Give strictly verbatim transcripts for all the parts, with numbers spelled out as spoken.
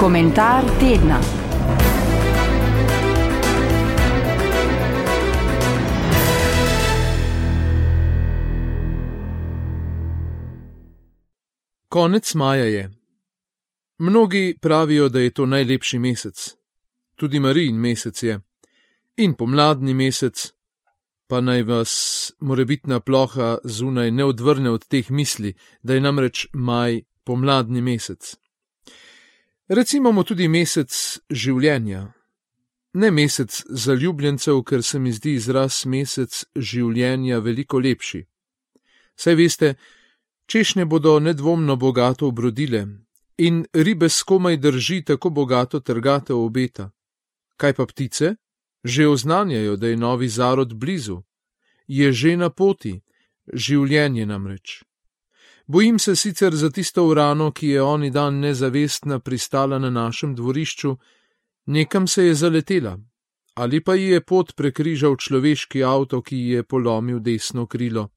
Komentar tedna. Konec maja je. Mnogi pravijo, da je to najlepši mesec. Tudi Marijin mesec je. In pomladni mesec, pa naj vas morebitna ploha zunaj ne odvrne od teh misli, da je namreč maj pomladni mesec. Recimo mu tudi mesec življenja. Ne mesec zaljubljencev, ker se mi zdi izraz mesec življenja veliko lepši. Saj veste, češnje bodo nedvomno bogato obrodile in ribe skomaj drži tako bogato trgatev obeta. Kaj pa ptice? Že oznanjajo, da je novi zarod blizu. Je že na poti, življenje namreč. Bojim se sicer za tisto urano, ki je oni dan nezavestna pristala na našem dvorišču, nekam se je zaletela, ali pa ji je pot prekrižal človeški avto, ki ji je polomil desno krilo.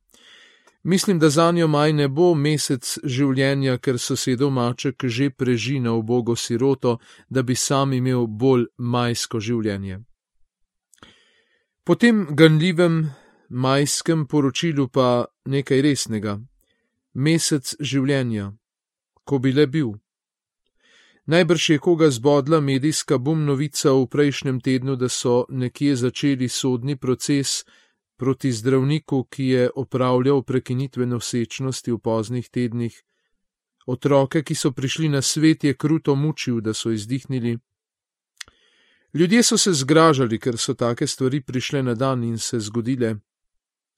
Mislim, da zanjo maj ne bo mesec življenja, ker sosedov maček že preži na ubogo siroto, da bi sam imel bolj majsko življenje. Po tem ganljivem majskem poročilu pa nekaj resnega. Mesec življenja, ko bi le bil. Najbrž je koga zbodla medijska bum novica v prejšnjem tednu, da so nekje začeli sodni proces proti zdravniku, ki je opravljal prekinitve nosečnosti v poznih tednih. Otroke, ki so prišli na svet, je kruto mučil, da so izdihnili. Ljudje so se zgražali, ker so take stvari prišle na dan in se zgodile.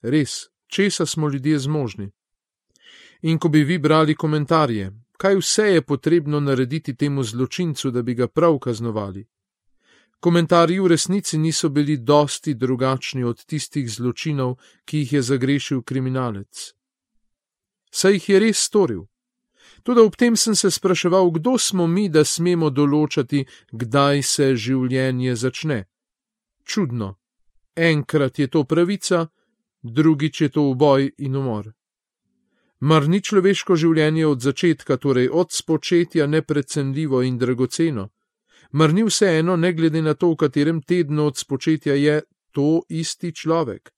Res, česa smo ljudje zmožni? In ko bi vi brali komentarje, kaj vse je potrebno narediti temu zločincu, da bi ga prav kaznovali? Komentarji v resnici niso bili dosti drugačni od tistih zločinov, ki jih je zagrešil kriminalec. Saj jih je res storil. Toda ob tem sem se spraševal, kdo smo mi, da smemo določati, kdaj se življenje začne. Čudno. Enkrat je to pravica, drugič je to uboj in umor. Mar ni človeško življenje od začetka, torej od spočetja, neprecenljivo in dragoceno? Mar ni vseeno, ne glede na to, v katerem tednu od spočetja je to isti človek?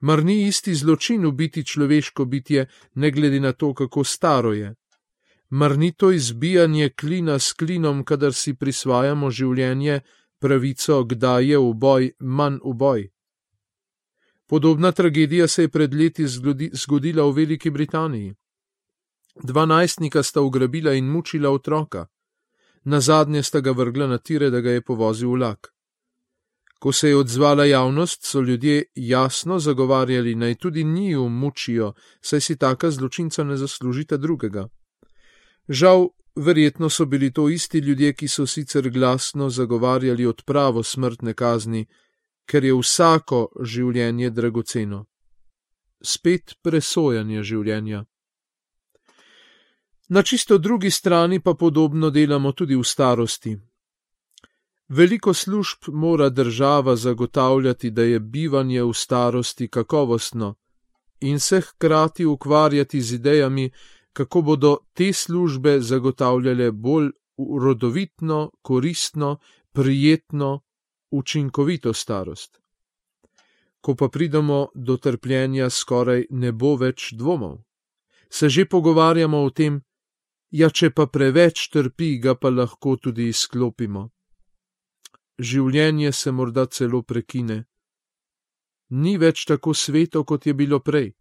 Mar ni isti zločin ubiti človeško bitje, ne glede na to, kako staro je? Mar ni to izbijanje klina s klinom, kadar si prisvajamo življenje, pravico, kdaj je uboj manj uboj? Podobna tragedija se je pred leti zgodila v Veliki Britaniji. Dva najstnika sta ugrabila in mučila otroka. Nazadnje sta ga vrgla na tire, da ga je povozil vlak. Ko se je odzvala javnost, so ljudje jasno zagovarjali, naj tudi njiju mučijo, saj si taka zločinca ne zaslužita drugega. Žal, verjetno so bili to isti ljudje, ki so sicer glasno zagovarjali odpravo smrtne kazni, ker je vsako življenje dragoceno. Spet presojanje življenja. Na čisto drugi strani pa podobno delamo tudi v starosti. Veliko služb mora država zagotavljati, da je bivanje v starosti kakovostno in se hkrati ukvarjati z idejami, kako bodo te službe zagotavljale bolj rodovitno, koristno, prijetno, učinkovito starost. Ko pa pridemo do trpljenja, skoraj ne bo več dvomov. Se že pogovarjamo o tem, ja, če pa preveč trpi, ga pa lahko tudi izklopimo. Življenje se morda celo prekine. Ni več tako sveto, kot je bilo prej.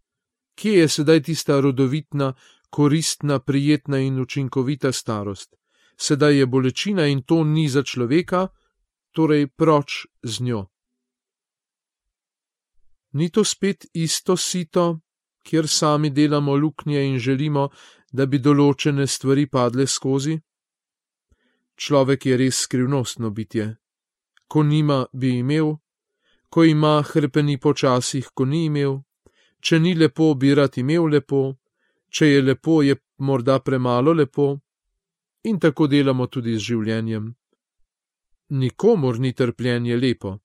Kje je sedaj tista rodovitna, koristna, prijetna in učinkovita starost? Sedaj je bolečina in to ni za človeka, torej proč z njo. Ni to spet isto sito, kjer sami delamo luknje in želimo, da bi določene stvari padle skozi? Človek je res skrivnostno bitje. Ko nima, bi imel, ko ima, hrepeni počasih, ko ni imel, če ni lepo, bi rad imel lepo, če je lepo, je morda premalo lepo, in tako delamo tudi z življenjem. Nikomur ni trpljenje lepo,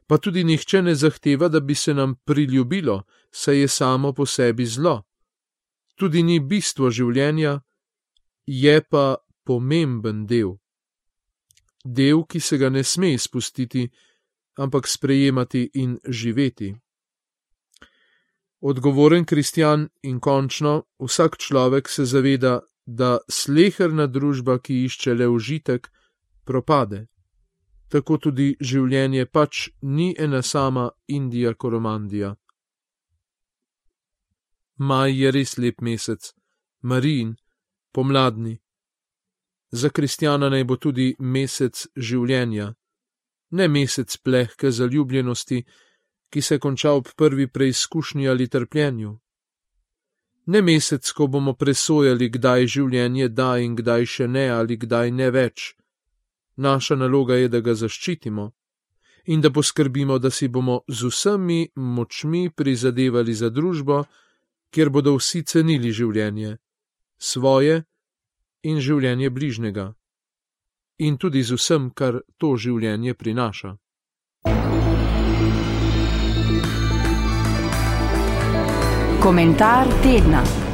pa tudi nihče ne zahteva, da bi se nam priljubilo, saj je samo po sebi zlo. Tudi ni bistvo življenja, je pa pomemben del. del, ki se ga ne sme izpustiti, ampak sprejemati in živeti. Odgovoren kristjan in končno vsak človek se zaveda, da sleherna družba, ki išče le užitek, propade. Tako tudi življenje pač ni ena sama Indija Koromandija. Maj je res lep mesec, Marijin, pomladni. Za kristjana naj bo tudi mesec življenja, ne mesec plehke zaljubljenosti, ki se konča ob prvi preizkušnji ali trpljenju. Ne mesec, ko bomo presojali, kdaj življenje da in kdaj še ne ali kdaj ne več. Naša naloga je, da ga zaščitimo in da poskrbimo, da si bomo z vsemi močmi prizadevali za družbo, kjer bodo vsi cenili življenje, svoje in življenje bližnjega, in tudi z vsem, kar to življenje prinaša. Komentar tedna.